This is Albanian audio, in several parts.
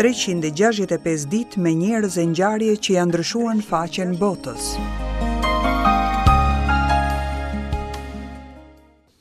365 ditë me njerëz e ngjarje që ia ndryshuan faqen botës.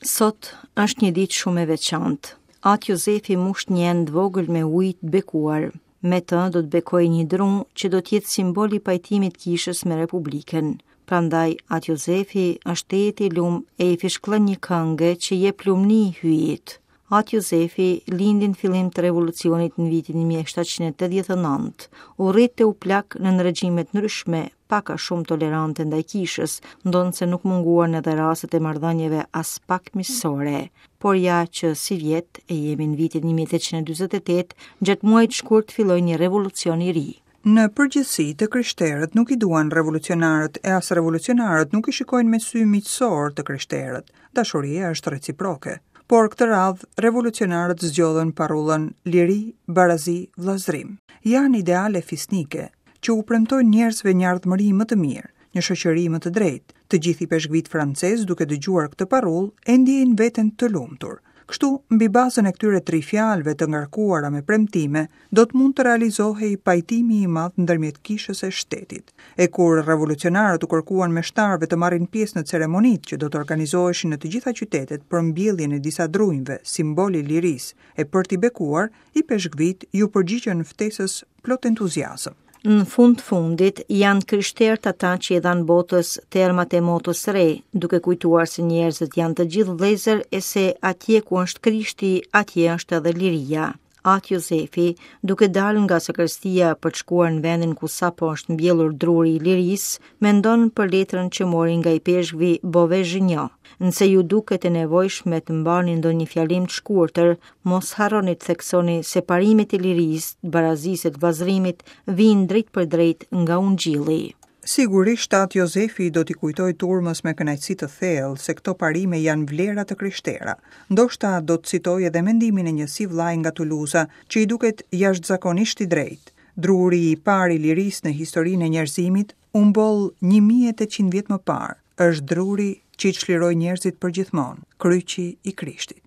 Sot është një ditë shumë e veçantë. At Jozefi mush një enë të vogël me ujë të bekuar. Me të do të bekojë një dru që do të jetë simbol i pajtimit të kishës me Republikën. Prandaj At Jozefi është tejet i lum e i fishkëllen një kënge që i jep lumni Hyjit. At Jozefi lindi në fillim të revolucionit në vitin 1789. U rrit e u plak nën regjime të ndryshme, pak a shumë tolerante ndaj kishës, ndonëse nuk munguan edhe rastet e marrëdhënieve aspak miqësore. Por ja që sivjet, e jemi në vitin 1848, gjatë muajit shkurt filloi një revolucion i ri. Në përgjithësi, të krishterët nuk i duan revolucionarët e as revolucionarët nuk i shikojnë me sy miqësor të krishterët. Dashuria është reciproke. Por këtë radhë, revolucionarët zgjodhën parullën liri, barazi, vëllazërim. Janë ideale fisnike, që u premtojnë njerëzve një ardhmëri më të mirë, një shoqëri më të drejtë. Të gjithë ipeshkvijtë francezë duke dëgjuar këtë parullë e ndjejnë veten të lumtur. Kështu, mbi bazën e këtyre tri fjalëve të ngarkuara me premtime, do të mund të realizohej pajtimi i madh ndërmjet kishës e shtetit. E kur revolucionarët u kërkuan meshtarëve të marrin pjesë në ceremonitë që do të organizoheshin në të gjitha qytetet për mbjelljen e disa drunjve, simbol i lirisë, e për t'i bekuar, Ipeshkvijtë iu përgjigjën ftesës plot entuziazëm. Në fund të fundit, janë krishterët ata që i dhanë botës termat e motos së re, duke kujtuar se njerëzit janë të gjithë vëllezër e se atje ku është Krishti, atje është edhe liria. At Jozefi, duke dalë nga sakristia për të shkuar në vendin ku sapo është mbjellur druri i lirisë, mendon për letrën që mori nga ipeshkvi Bove-Zhinjo. Nëse ju duket e nevojshme të mbani ndonjë fjalim të shkurtër, Mos harroni të theksoni se parimet e lirisë, të barazisë e të vëllazërimit vijnë drejtpërdrejt nga Ungjilli. Sigurisht At Jozefi do t'i kujtojë turmës me kënaqësi të thellë se këto parime janë vlera të krishtera. Ndoshta do të citojë edhe mendimin e një sivllai nga Tuluza, që i duket jashtëzakonisht i drejtë. Druri i parë i lirisë në historinë e njerëzimit u mboll 1800 vjet më parë, është druri që i çliroi njerëzit përgjithmonë, kryqi i Krishtit.